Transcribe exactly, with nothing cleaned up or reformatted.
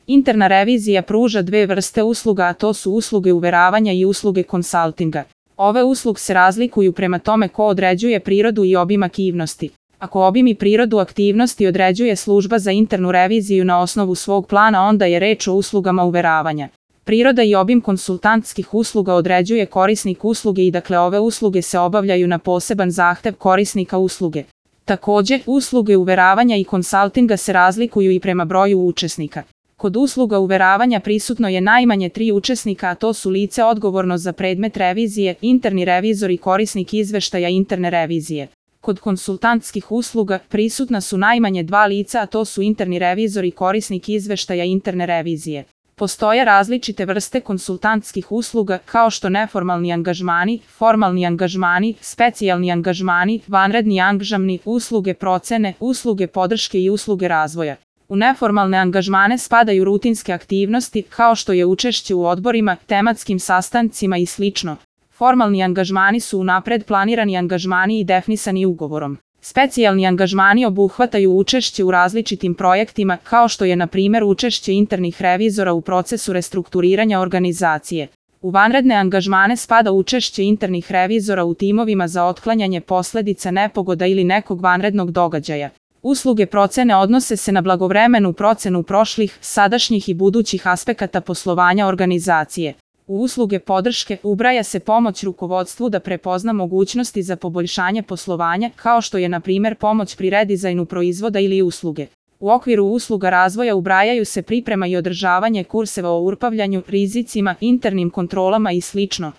Interna revizija pruža dve vrste usluga, a to su usluge uveravanja i usluge konsaltinga. Ove usluge se razlikuju prema tome ko određuje prirodu i obim aktivnosti. Ako obim i prirodu aktivnosti određuje služba za internu reviziju na osnovu svog plana, onda je reč o uslugama uveravanja. Priroda i obim konsultantskih usluga određuje korisnik usluge i dakle ove usluge se obavljaju na poseban zahtev korisnika usluge. Također, usluge uveravanja i konsaltinga se razlikuju i prema broju učesnika. Kod usluga uveravanja prisutno je najmanje tri učesnika, a to su lice odgovorno za predmet revizije, interni revizor i korisnik izveštaja interne revizije. Kod konsultantskih usluga prisutna su najmanje dva lica, a to su interni revizor i korisnik izveštaja interne revizije. Postoje različite vrste konsultantskih usluga, kao što neformalni angažmani, formalni angažmani, specijalni angažmani, vanredni angažmani, usluge procene, usluge podrške i usluge razvoja. U neformalne angažmane spadaju rutinske aktivnosti, kao što je učešće u odborima, tematskim sastancima i slično. Formalni angažmani su unapred planirani angažmani i definisani ugovorom. Specijalni angažmani obuhvataju učešće u različitim projektima, kao što je na primjer učešće internih revizora u procesu restrukturiranja organizacije. U vanredne angažmane spada učešće internih revizora u timovima za otklanjanje posljedica nepogoda ili nekog vanrednog događaja. Usluge procene odnose se na blagovremenu procenu prošlih, sadašnjih i budućih aspekata poslovanja organizacije. U usluge podrške ubraja se pomoć rukovodstvu da prepozna mogućnosti za poboljšanje poslovanja, kao što je na primjer pomoć pri redizajnu proizvoda ili usluge. U okviru usluga razvoja ubrajaju se priprema i održavanje kurseva o upravljanju rizicima, internim kontrolama i slično.